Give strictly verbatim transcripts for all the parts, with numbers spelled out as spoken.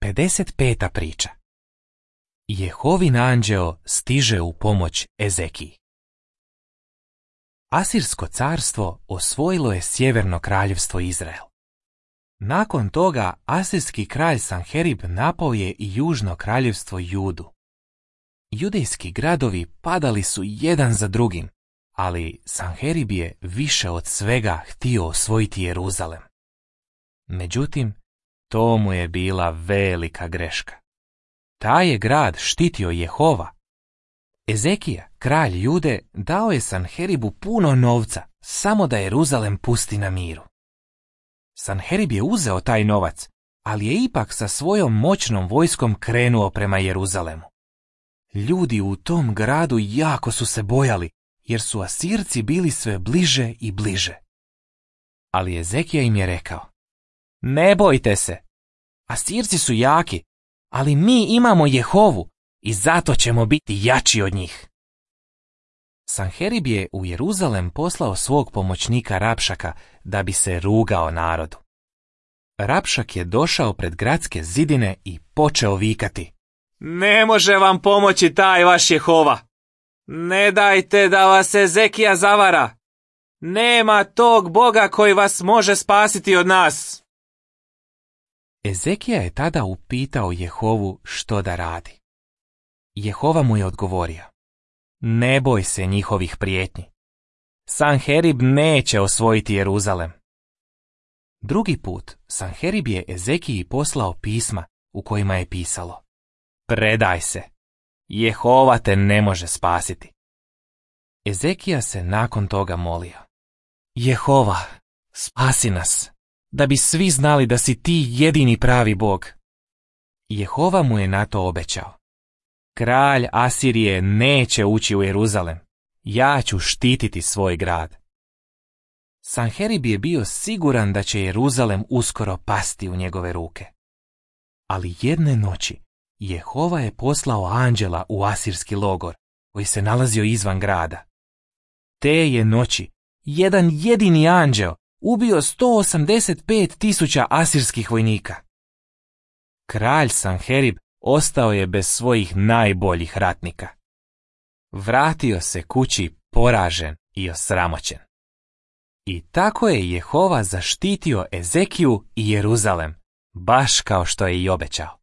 pedeset peta priča. Jehovin anđeo stiže u pomoć Ezekiji. Asirsko carstvo osvojilo je sjeverno kraljevstvo Izrael. Nakon toga asirski kralj Sanherib napao je i južno kraljevstvo Judu. Judejski gradovi padali su jedan za drugim, ali Sanherib je više od svega htio osvojiti Jeruzalem. Međutim, to mu je bila velika greška. Taj je grad štitio Jehova. Ezekija, kralj Jude, dao je Sanheribu puno novca, samo da Jeruzalem pusti na miru. Sanherib je uzeo taj novac, ali je ipak sa svojom moćnom vojskom krenuo prema Jeruzalemu. Ljudi u tom gradu jako su se bojali, jer su Asirci bili sve bliže i bliže. Ali Ezekija im je rekao: ne bojte se, Asirci su jaki, ali mi imamo Jehovu i zato ćemo biti jači od njih. Sanherib je u Jeruzalem poslao svog pomoćnika Rapšaka da bi se rugao narodu. Rapšak je došao pred gradske zidine i počeo vikati: ne može vam pomoći taj vaš Jehova. Ne dajte da vas Ezekija zavara. Nema tog Boga koji vas može spasiti od nas. Ezekija je tada upitao Jehovu što da radi. Jehova mu je odgovorio: ne boj se njihovih prijetnji. Sanherib neće osvojiti Jeruzalem. Drugi put Sanherib je Ezekiji poslao pisma u kojima je pisalo: predaj se, Jehova te ne može spasiti. Ezekija se nakon toga molio: Jehova, spasi nas, da bi svi znali da si ti jedini pravi Bog. Jehova mu je na to obećao: kralj Asirije neće ući u Jeruzalem, ja ću štititi svoj grad. Sanherib je bio siguran da će Jeruzalem uskoro pasti u njegove ruke. Ali jedne noći Jehova je poslao anđela u asirski logor, koji se nalazio izvan grada. Te je noći jedan jedini anđeo ubio sto osamdeset pet tisuća asirskih vojnika. Kralj Sanherib ostao je bez svojih najboljih ratnika. Vratio se kući poražen i osramoćen. I tako je Jehova zaštitio Ezekiju i Jeruzalem, baš kao što je i obećao.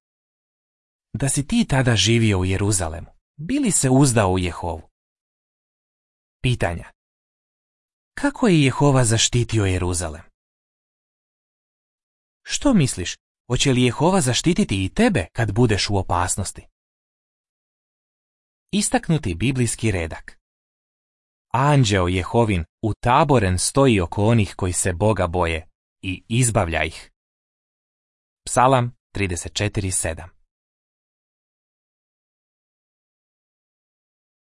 Da si ti tada živio u Jeruzalemu, bi li se uzdao u Jehovu? Pitanja. Kako je Jehova zaštitio Jeruzalem? Što misliš, hoće li Jehova zaštititi i tebe kad budeš u opasnosti? Istaknuti biblijski redak. Anđeo Jehovin utaboren stoji oko onih koji se Boga boje i izbavlja ih. Psalam trideset četiri sedam.